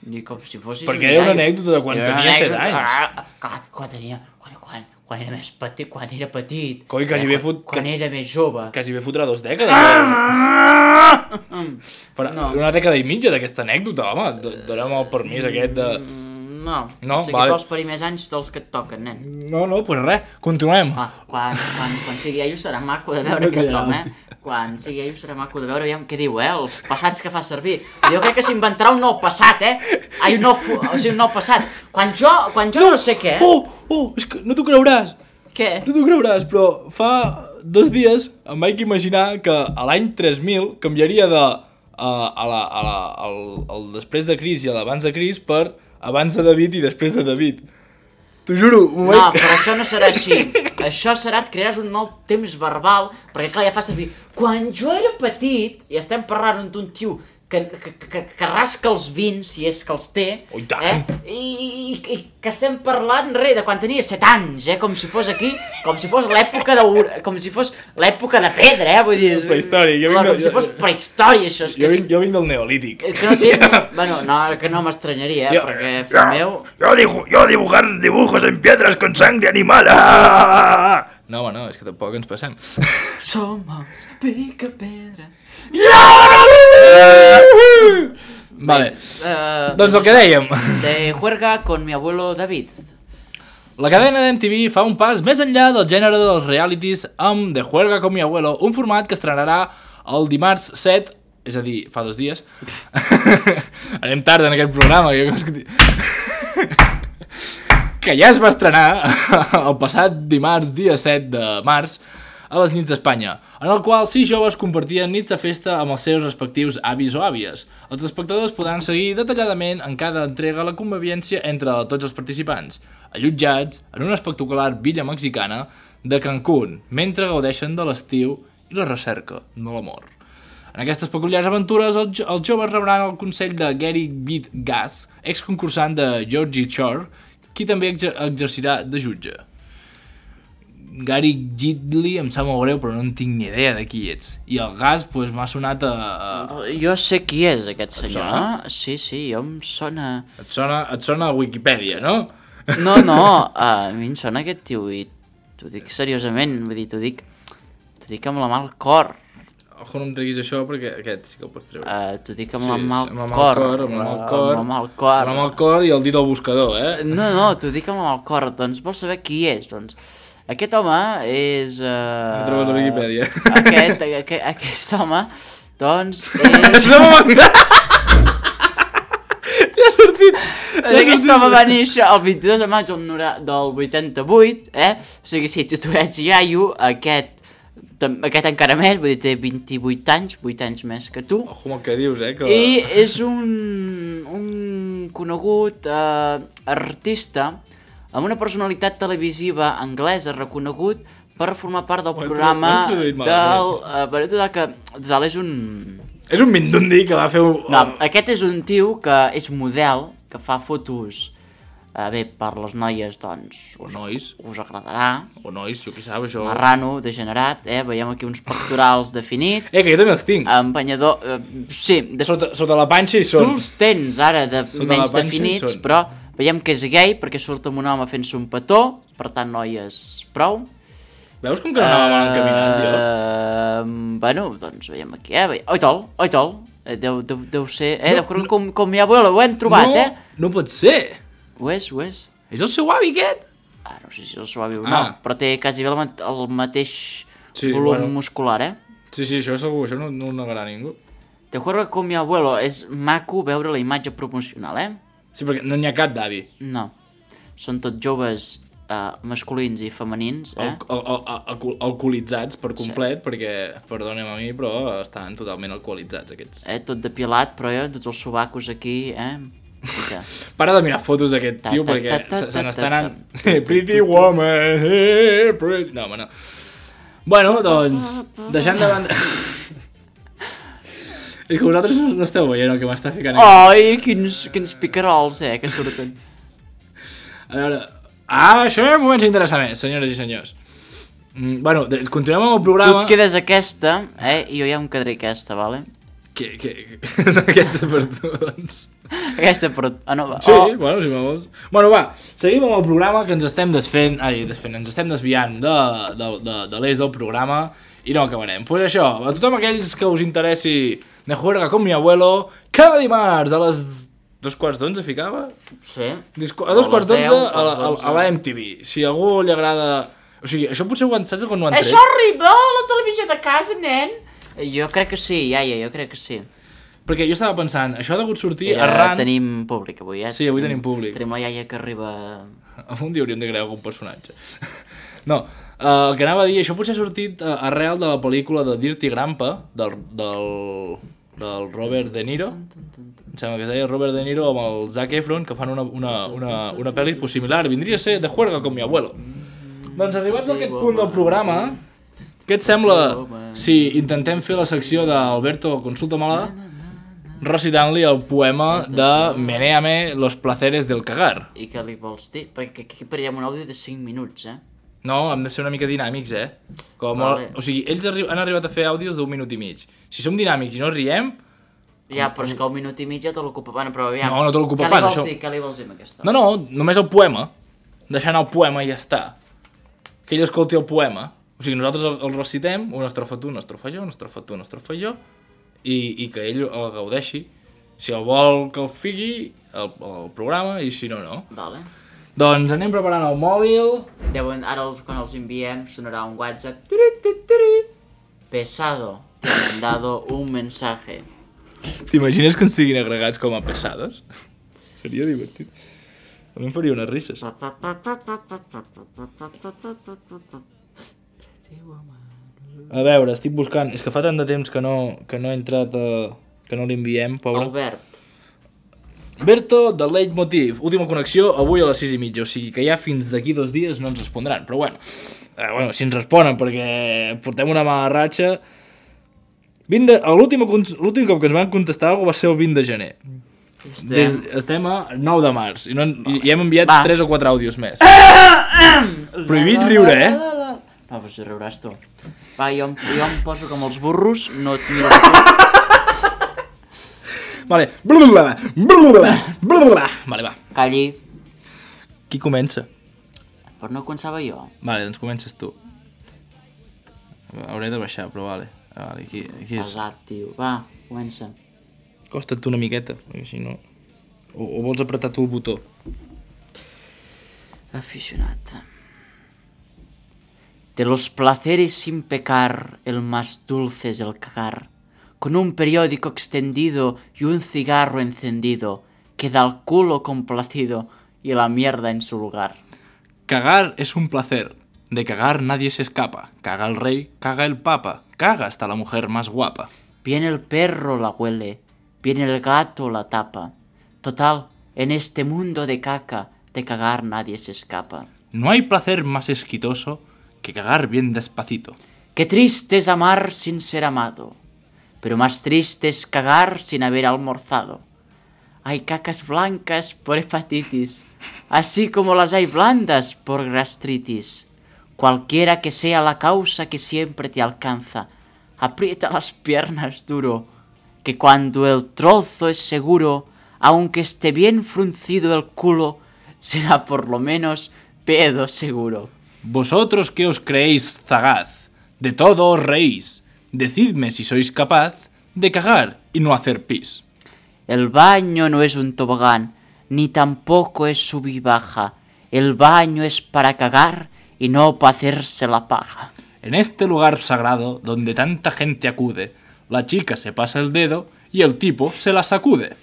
I com si fossis... Perquè era una anècdota de quan tenia 7 anys. Quan era més petit, quan era petit. Coi, quasi bé quan era més jove. Quasi bé fotrà 2 dècades. Una dècada i mitja d'aquesta anècdota, home. Donem el permís aquest de... No, o sigui, vale. Vols parir més anys dels que et toquen, nen. No, pues res, continuem. Quan sigui ell serà maco de veure aquest home, Quan sigui ell serà maco de veure, aviam què diu, els passats que fa servir. Jo crec que s'inventarà un nou passat, Ai, un nou passat. Quan jo no sé què... És que no t'ho creuràs. Què? No t'ho creuràs, però fa 2 dies em vaig imaginar que a l'any 3000 canviaria de el després de Cris i l'abans de Cris per abans de David i després de David. T'ho juro. No, però això no serà així. Això serà, et crearàs un nou temps verbal, perquè clar, ja fa servir... Quan jo era petit, i estem parlant d'un tio que rasca els vins, si és que els té, i que estem parlant, de quan tenia 7 anys, com si fos aquí, com si fos l'època de pedra, vull dir... Prehistòric. Com si fos prehistòria, això. Jo vinc del neolític. Bueno, que no m'estranyaria, perquè, fill meu... Yo dibujar dibujos en piedras con sangre animal. No, home, no, és que tampoc ens passem. Somos pica-pedra. Vale, doncs el que dèiem. De juerga con mi abuelo David. La cadena d'MTV fa un pas més enllà del gènere dels realities amb De juerga con mi abuelo, un format que estrenarà el dimarts 7, és a dir, fa 2 dies. Anem tard en aquest programa. Que ja es va estrenar el passat dimarts, dia 7 de març, a les nits d'Espanya, en el qual 6 joves compartien nits de festa amb els seus respectius avis o àvies. Els espectadors podran seguir detalladament en cada entrega la convivència entre tots els participants, allotjats en una espectacular villa mexicana de Cancún, mentre gaudeixen de l'estiu i la recerca de l'amor. En aquestes peculiars aventures, els joves rebran el consell de Gary Beat Gas, exconcursant de Georgie Shore, qui també exercirà de jutge. Gary Gidley em sap molt greu, però no en tinc ni idea de qui ets. I el Gas, doncs, m'ha sonat a... Jo sé qui és, aquest senyor, no? Sí, jo em sona... Et sona a Wikipedia, no? No, a mi em sona aquest tio, i t'ho dic seriosament, vull dir, t'ho dic amb la mà al cor. Ojo, no em treguis això, perquè aquest sí que el pots treure. T'ho dic amb la mà al cor. Amb el cor i el dit al buscador, No, t'ho dic amb la mà al cor. Doncs vols saber qui és? Doncs aquest home és... No trobes a Wikipedia. Aquest home, doncs, és... No m'ha ja ha sortit. Aquest home va néixer el 22 de maig del 88, O sigui, si tu ets iaio, aquest encara més, vull dir, té 28 anys, 8 anys més que tu. Ojo, el que dius, que... I és un conegut artista amb una personalitat televisiva anglesa reconegut per formar part del programa del... que és un... És un mindundi que va fer... No, aquest és un tio que és model, que fa fotos... Bé, per les noies, doncs... O nois. Us agradarà. O nois, jo què sap, això... Marrano, degenerat, veiem aquí uns pectorals definits. Que jo també els tinc. Empenyador... Sí. Sota la panxa hi són. Tu els tens, ara, menys definits, però veiem que és gay, perquè surt amb un home fent-se un petó, per tant, noies, prou. Veus com que no anava mal encaminant, tio? Bueno, doncs veiem aquí, Oitol. Deu ser... Com mi abuelo, ho hem trobat, No pot ser. Ho és. És el seu avi, aquest? No sé si és el seu avi o no, però té quasi bé el mateix volum muscular, Sí, això segur, això no ho negarà ningú. Te juego con mi abuelo, és maco veure la imatge promocional, Sí, perquè no n'hi ha cap d'avi. No, són tots joves masculins i femenins, alcoholitzats per complet, perquè, perdona'm a mi, però estan totalment alcoholitzats aquests. Tot depilat, però tots els sobacos aquí, Para de mirar fotos d'aquest tio, perquè se n'està anant... Pretty woman, pretty... No, home, no. Bueno, doncs, deixant de banda... És que vosaltres no esteu veient el que m'està ficant aquí. Ai, quins picarols, que surten. A veure... això ja m'ho vaig interessar més, senyores i senyors. Bueno, continuem amb el programa... Tu et quedes aquesta, i jo ja em quedaré aquesta, vale? Aquesta per tu, doncs. Aquesta per tu. No, va. Sí, bueno, si me vols. Bueno, va, seguim amb el programa que ens estem ens estem desviant de l'eix del programa i no acabarem. Pues això, a tothom aquells que us interessi De Juerga con mi abuelo, cada dimarts a les 2:45 ficava? Sí. A 2:11 a la MTV. Si a algú li agrada... O sigui, això potser saps quan ho han tret? Això arriba a la televisió de casa, nen? Jo crec que sí, iaia, jo crec que sí. Perquè jo estava pensant, això ha degut sortir arran... Tenim públic avui, Sí, avui tenim públic. Tenim la iaia que arriba... Un dia hauríem de crear algun personatge. No, el que anava a dir, això potser ha sortit arrel de la pel·lícula de Dirty Grandpa, del Robert De Niro. Em sembla que es deia Robert De Niro amb el Zac Efron, que fan una pel·li similar. Vindria a ser De Juerga con mi abuelo. Doncs arribats a aquest punt del programa, què et sembla si intentem fer la secció d'Alberto Consulta-me-la recitant-li el poema de Menéame los placeres del cagar? I què li vols dir? Perquè aquí parirem un àudio de 5 minuts, No, hem de ser una mica dinàmics, Vale. O sigui, ells han arribat a fer àudios d'1 minut i mig. Si som dinàmics i no riem... Ja, però és que el minut i mig ja te l'ocupa. Bueno, però aviam... No te l'ocupa pas, això. Què li vols dir amb aquesta? No, només el poema. Deixant el poema i ja està. Que ell escolti el poema. O sigui, nosaltres el recitem, una estrofa tu, una estrofa jo, una estrofa tu, una estrofa jo, i que ell el gaudeixi. Si el vol que el fiqui, el programa, i si no, no. Vale. Doncs anem preparant el mòbil. Ara quan els enviem sonarà un WhatsApp. Pesado, te han mandado un mensaje. T'imagines que ens siguin agregats com a pesados? Seria divertit. A mi em faria unes risses. A veure, estic buscant... És que fa tant de temps que no he entrat que no l'enviem, pobre. Berto, de Leitmotiv, última connexió, avui a les 6:30, o sigui que ja fins d'aquí 2 dies no ens respondran, però bueno, si ens responen, perquè portem una mala ratxa. L'últim cop que ens van contestar alguna va ser el 20 de gener. Estem a 9 de març i hem enviat 3 o 4 àudios més. Prohibit riure, No, però si riuràs tu. Va, jo em poso com els burros, no et miro tu. Vale. Vale, va. Calli. Qui comença? Però no començava jo. Vale, doncs comences tu. Hauré de baixar, però vale. Aquí és... Pesat, tio. Va, comença. Costa't tu una miqueta, perquè si no... O vols apretar tu el botó? Aficionat. De los placeres sin pecar, el más dulce es el cagar. Con un periódico extendido y un cigarro encendido, queda el culo complacido y la mierda en su lugar. Cagar es un placer. De cagar nadie se escapa. Caga el rey, caga el papa. Caga hasta la mujer más guapa. Viene el perro, la huele. Viene el gato, la tapa. Total, en este mundo de caca, de cagar nadie se escapa. No hay placer más exquisitoso que cagar bien despacito. Qué triste es amar sin ser amado. Pero más triste es cagar sin haber almorzado. Hay cacas blancas por hepatitis, así como las hay blandas por gastritis. Cualquiera que sea la causa que siempre te alcanza, aprieta las piernas duro, que cuando el trozo es seguro, aunque esté bien fruncido el culo, será por lo menos pedo seguro. Vosotros que os creéis sagaz, de todo os reís. Decidme si sois capaz de cagar y no hacer pis. El baño no es un tobogán, ni tampoco es sub y baja. El baño es para cagar y no para hacerse la paja. En este lugar sagrado, donde tanta gente acude, la chica se pasa el dedo y el tipo se la sacude.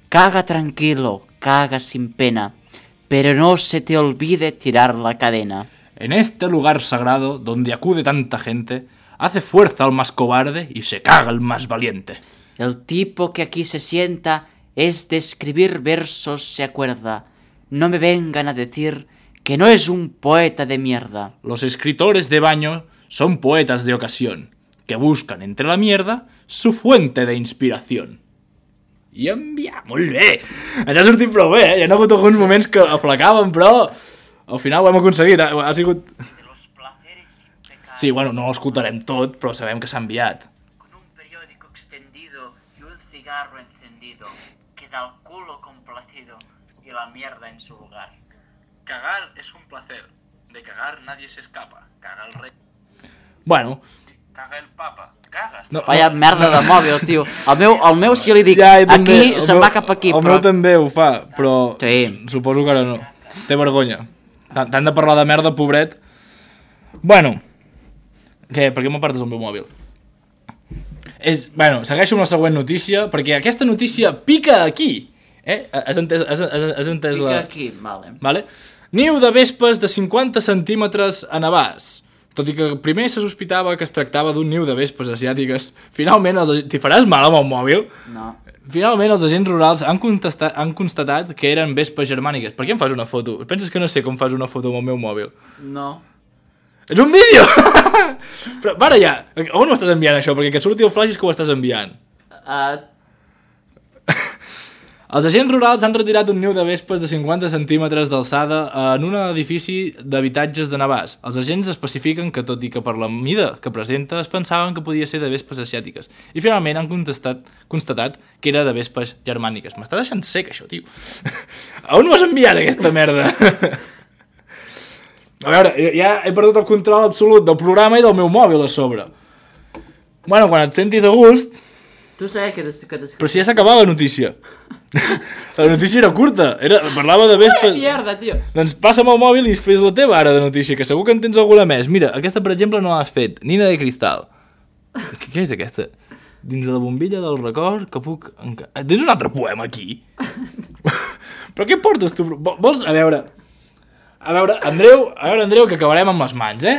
Caga tranquilo, caga sin pena, pero no se te olvide tirar la cadena. En este lugar sagrado, donde acude tanta gente, hace fuerza al más cobarde y se caga el más valiente. El tipo que aquí se sienta es de escribir versos se acuerda. No me vengan a decir que no es un poeta de mierda. Los escritores de baño son poetas de ocasión, que buscan entre la mierda su fuente de inspiración. I enviar, molt bé! Ens ha sortit prou bé, Hi ha hagut alguns moments que aflacàvem, però al final ho hem aconseguit. Ha sigut... Sí, bueno, no l'escoltarem tot, però sabem que s'ha enviat. Con un periódico extendido y un cigarro encendido, queda el culo complacido y la mierda en su lugar. Cagar es un placer. De cagar nadie se escapa. Caga el rey. Bueno. Caga el papa. Cagas. No, vaya merda de mòbil, tio. El meu si li dic, ja, aquí se'n va cap aquí, però... El meu també ho fa, però sí. Suposo que ara no. Té vergonya. T'han de parlar de merda, pobret. Bueno. Què? Per què m'apartes el meu mòbil? Bueno, segueixo amb la següent notícia, perquè aquesta notícia pica aquí. Has entès pica aquí, vale. Niu de vespes de 50 centímetres a Navàs. Tot i que primer se sospitava que es tractava d'un niu de vespes asiàtiques, finalment t'hi faràs mal amb el mòbil? No. Finalment els agents rurals han constatat que eren vespes germàniques. Per què em fas una foto? Penses que no sé com fas una foto amb el meu mòbil? No. És un vídeo! Però para ja, on ho estàs enviant això? Perquè que et surti el flash és que ho estàs enviant. Els agents rurals han retirat un niu de vespes de 50 centímetres d'alçada en un edifici d'habitatges de Navàs. Els agents especifiquen que, tot i que per la mida que presenta, es pensaven que podia ser de vespes asiàtiques. I finalment han constatat que era de vespes germàniques. M'està deixant sec, això, tio. On ho has enviat, aquesta merda? A veure, ja he perdut el control absolut del programa i del meu mòbil a sobre. Bueno, quan et sentis a gust... Tu sabes que Però si ja s'acabava la notícia. La notícia era curta. Parlava de vespes... Mierda, tio. Doncs passa'm el mòbil i fes la teva ara de notícia, que segur que en tens alguna més. Mira, aquesta, per exemple, no l'has fet. Nina de cristal. Què és aquesta? Dins de la bombilla del record que puc... Tens un altre poema aquí? Però què portes tu? Vols... A veure, Andreu, que acabarem amb les mans,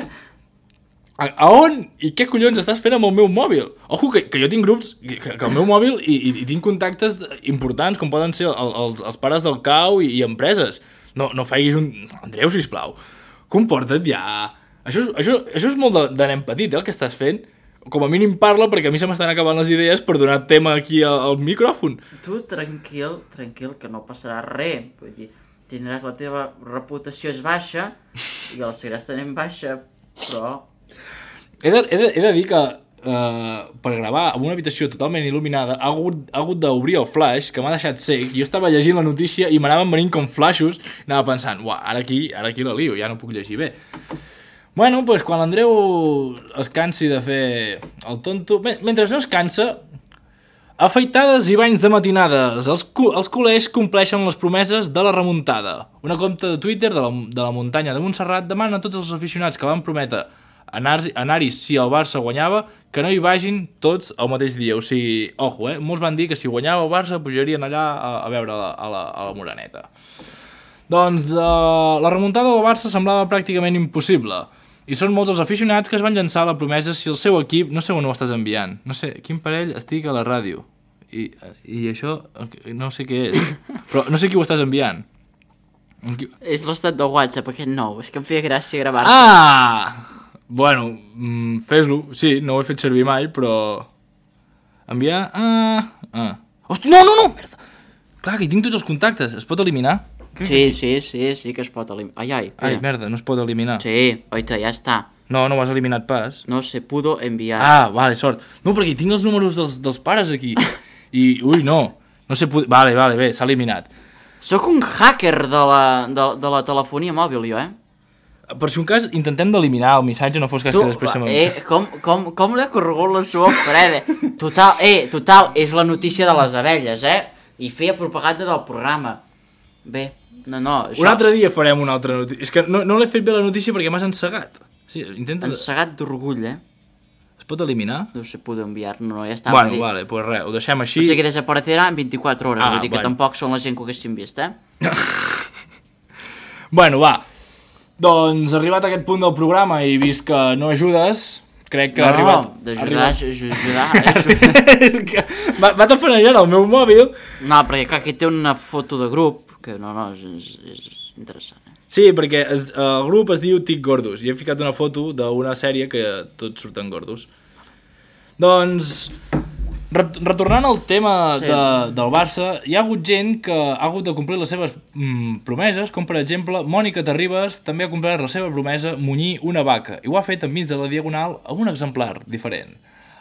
A on i què collons estàs fent amb el meu mòbil? Ojo, que jo tinc grups, que el meu mòbil i tinc contactes importants, com poden ser els pares del cau i empreses. No faiguis un... Andreu, sisplau, comporta't ja. Això és molt de nen petit, el que estàs fent. Com a mínim parla, perquè a mi se m'estan acabant les idees per donar tema aquí al micròfon. Tu, tranquil, que no passarà res. Vull dir, tindràs la teva reputació és baixa i la seguiràs tenint baixa, però... He de dir que per gravar en una habitació totalment il·luminada ha hagut d'obrir el flash, que m'ha deixat sec. Jo estava llegint la notícia i m'anaven venint com flashes i anava pensant, uah, ara aquí la lio, ja no puc llegir bé. Bueno, doncs quan l'Andreu es cansi de fer el tonto... Mentre no es cansa, afeitades i banys de matinades. Els col·legis compleixen les promeses de la remuntada. Una compte de Twitter de la muntanya de Montserrat demana a tots els aficionats que van prometre anar-hi si el Barça guanyava, que no hi vagin tots el mateix dia. O sigui, ojo, molts van dir que si guanyava el Barça pujarien allà a veure a la Moreneta. Doncs la remuntada del Barça semblava pràcticament impossible. I són molts els aficionats que es van llançar la promesa si el seu equip... No sé on ho estàs enviant. No sé, quin parell estic a la ràdio. I això no sé què és. Però no sé qui ho estàs enviant. És l'estat del WhatsApp, aquest nou. És que em feia gràcia gravar-te. Ah! Bueno, fes-lo. Sí, no ho he fet servir mai, però... Enviar... Hosti, no! Merda! Clar, que hi tinc tots els contactes. Es pot eliminar? Sí que es pot eliminar. Ai, merda, no es pot eliminar. Sí, oita, ja està. No ho has eliminat pas. No se pudo enviar. Ah, vale, sort. No, perquè tinc els números dels pares aquí. I, no se pudo... Vale, bé, s'ha eliminat. Sóc un hacker de la telefonia mòbil, jo, Per si un cas, intentem d'eliminar el missatge, no fos cas que després se me'n... Com l'he corregut la sua freda? Total, és la notícia de les abelles, I feia propaganda del programa. Bé, no, això... Un altre dia farem una altra notícia. És que no l'he fet bé la notícia perquè m'has encegat. Sí, encegat d'orgull, Es pot eliminar? No se puede enviar, no, ja està. Bueno, vale, pues res, ho deixem així. O sigui que desaparecerà en 24 hores, vull dir que tampoc són la gent que ho haguessin vist, Bueno, va. Doncs arribat a aquest punt del programa i vist que no ajudes, crec que ha arribat... No, d'ajudar. Va tafanejant el meu mòbil. No, perquè clar, aquí té una foto de grup, que no, és interessant. Sí, perquè el grup es diu Tic Gordos i he ficat una foto d'una sèrie que tots surten gordos. Doncs, retornant al tema del Barça, hi ha hagut gent que ha hagut de complir les seves promeses, com per exemple Mònica Terribas també ha complert la seva promesa munyir una vaca i ho ha fet enmig de la Diagonal amb un exemplar diferent.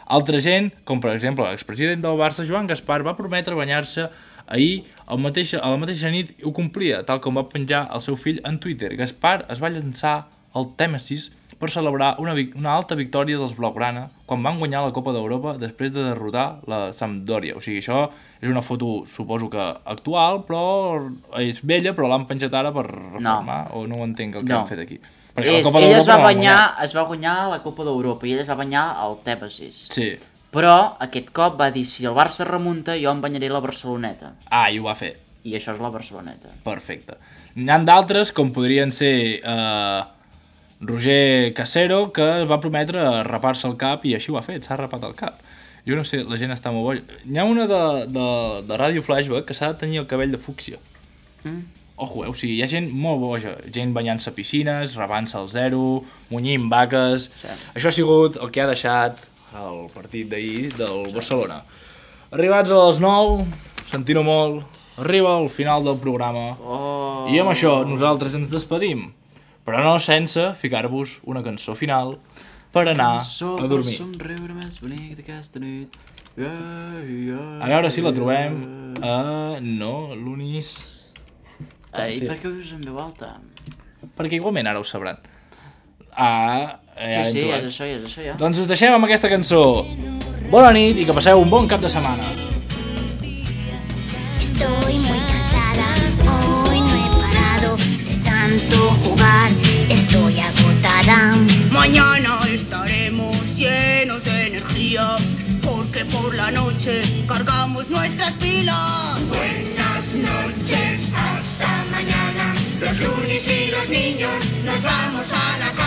Altra gent, com per exemple l'expresident del Barça, Joan Gaspar, va prometre banyar-se ahir a la mateixa nit i ho complia, tal com va penjar el seu fill en Twitter. Gaspar es va llançar al Tèmesis per celebrar una alta victòria dels Blaugrana quan van guanyar la Copa d'Europa després de derrotar la Sampdoria. O sigui, això és una foto, suposo que actual, però és vella, però l'han penjat ara per reformar, o no ho entenc el que han fet aquí. Ell es va guanyar la Copa d'Europa i ell es va banyar al Tèmesis. Sí. Però aquest cop va dir, si el Barça remunta, jo em banyaré la Barceloneta. Ah, i ho va fer. I això és la Barceloneta. Perfecte. N'hi ha d'altres, com podrien ser Roger Casero, que va prometre rapar-se el cap i així ho ha fet, s'ha rapat el cap. Jo no sé, la gent està molt boja. N'hi ha una de Ràdio Flashback que s'ha de tenir el cabell de fúcsia. Ojo, o sigui, hi ha gent molt boja. Gent banyant-se a piscines, rapant-se al zero, munyint vaques... Sí. Això ha sigut el que ha deixat el partit d'ahir del Barcelona. Arribats a les 9, sentint-ho molt, arriba al final del programa i amb això nosaltres ens despedim, però no sense ficar-vos una cançó final per anar a dormir. A veure si la trobem. No, l'Unis... I per què ho dius en veu alta? Perquè igualment ara ho sabran. Sí, és això, ja. Doncs us deixem amb aquesta cançó. Bona nit i que passeu un bon cap de setmana. Estoy muy cansada, hoy no he parado de tanto jugar, estoy agotada. Mañana estaremos llenos de energía, porque por la noche cargamos nuestras pilas. Buenas noches, hasta mañana. Los lunes y los niños nos vamos a la casa.